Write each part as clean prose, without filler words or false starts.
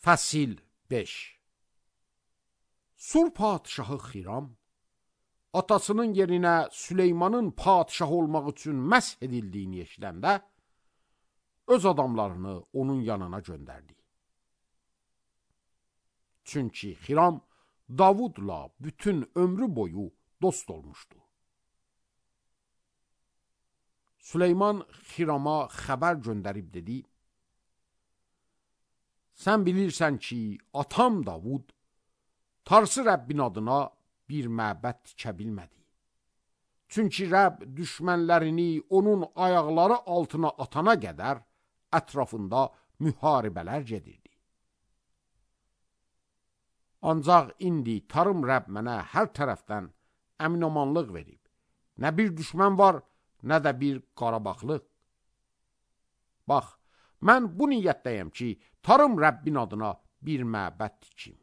Fəsil 5. Sur padişahı Xiram, atasının yerinə Süleymanın padişah olmaq üçün məsh edildiyini eşidəndə, öz adamlarını onun yanına göndərdi. Çünki Xiram Davudla bütün ömrü boyu dost olmuşdu. Süleyman Xirama xəbər göndərib dedi, sən bilirsən ki, atam Davud, Tarsı Rəbbin adına bir məbəd tikə bilmədi. Çünki Rəbb düşmənlərini onun ayaqları altına atana qədər ətrafında müharibələr gedirdi. Ancaq indi Tarım Rəbb mənə hər tərəfdən əminamanlıq verib. Nə bir düşmən var, nə də bir qarabaqlıq. Bax, mən bu niyyətdəyəm ki, Tarım Rəbbin adına bir məbəd tikim.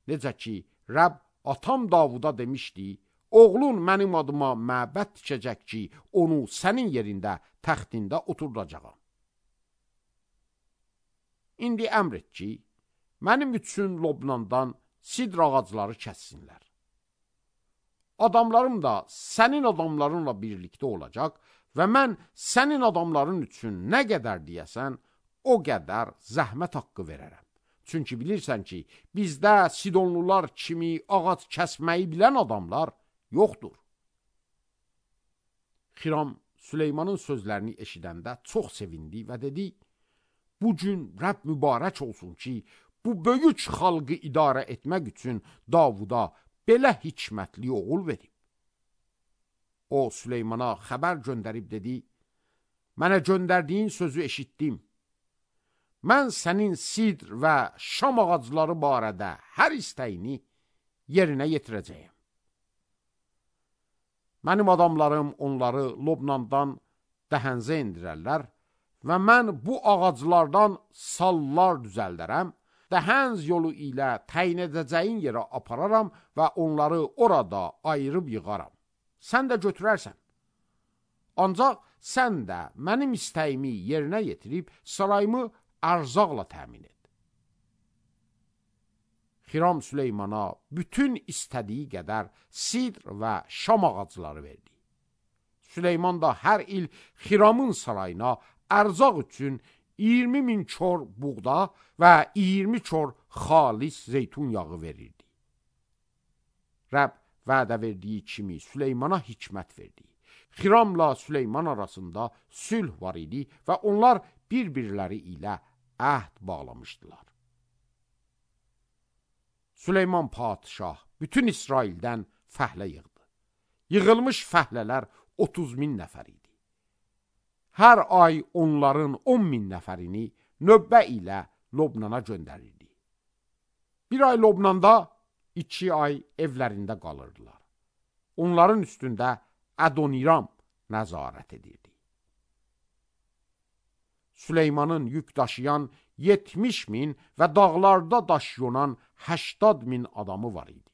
Necə ki, Rəbb atam Davuda demişdi, oğlun mənim adıma məbəd tikəcək ki, onu sənin yerində, təxtində oturdacağam. İndi əmr et ki, mənim üçün Lobnandan sidr ağacları kəssinlər. Adamlarım da sənin adamlarınla birlikdə olacaq və mən sənin adamların üçün nə qədər deyəsən, o qədər zəhmət haqqı verərəm. Çünki bilirsən ki, bizdə Sidonlular kimi ağac kəsməyi bilən adamlar yoxdur. Xiram Süleymanın sözlərini eşidəndə çox sevindi və dedi, bu gün Rəbb mübarək olsun ki, bu böyük xalqı idarə etmək üçün Davuda belə hikmətli oğul verib. O, Süleymana xəbər göndərib dedi, mənə göndərdiyin sözü eşitdim. Mən sənin sidr və şam ağacları barədə hər istəyini yerinə yetirəcəyəm. Mənim adamlarım onları Lobnandan dəhənzə endirərlər və mən bu ağaclardan sallar düzəldərəm, dəhənz yolu ilə təyin edəcəyin yerə apararam və onları orada ayırıb yığaram. Sən də götürərsən. Ancaq sən də mənim istəyimi yerinə yetirib sarayımı ərzaqla təmin et. Xiram Süleymana bütün istədiyi qədər sidr və şam ağacları verdi. Süleyman da hər il Xiramın sarayına ərzaq üçün 20.000 kor buğda və 20 kor xalis zeytun yağı verirdi. Rəbb vədə verdiyi kimi Süleymana hikmət verdi. Xiramla Süleyman arasında sülh var idi və onlar bir-birləri ilə əhd bağlamışdılar. Süleyman padişah bütün İsraildən fəhlə yığdı. Yığılmış fəhlələr 30.000 nəfər idi. Hər ay onların 10.000 nəfərini növbə ilə Lobnana göndərirdi. Bir ay Lobnanda, 2 ay evlərində qalırdılar. Onların üstündə Ədoniram nəzarət edirdi. Süleymanın yük daşıyan 70.000 və dağlarda daşyonan 80.000 adamı var idi.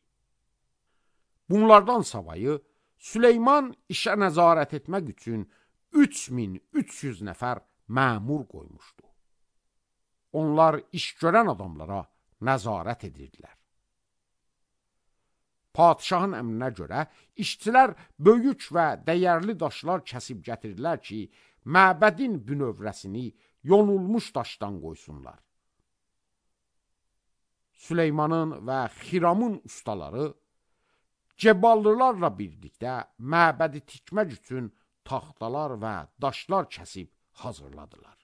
Bunlardan savayı Süleyman işə nəzarət etmək üçün 3300 nəfər məmur qoymuşdu. Onlar iş görən adamlara nəzarət edirdilər. Padişahın əmrinə görə işçilər böyük və dəyərli daşlar kəsib gətirdilər ki, məbədin bünövrəsini yonulmuş daşdan qoysunlar. Süleymanın və Xiramın ustaları Ceballılarla birlikdə məbədi tikmək üçün taxtalar və daşlar kəsib hazırladılar.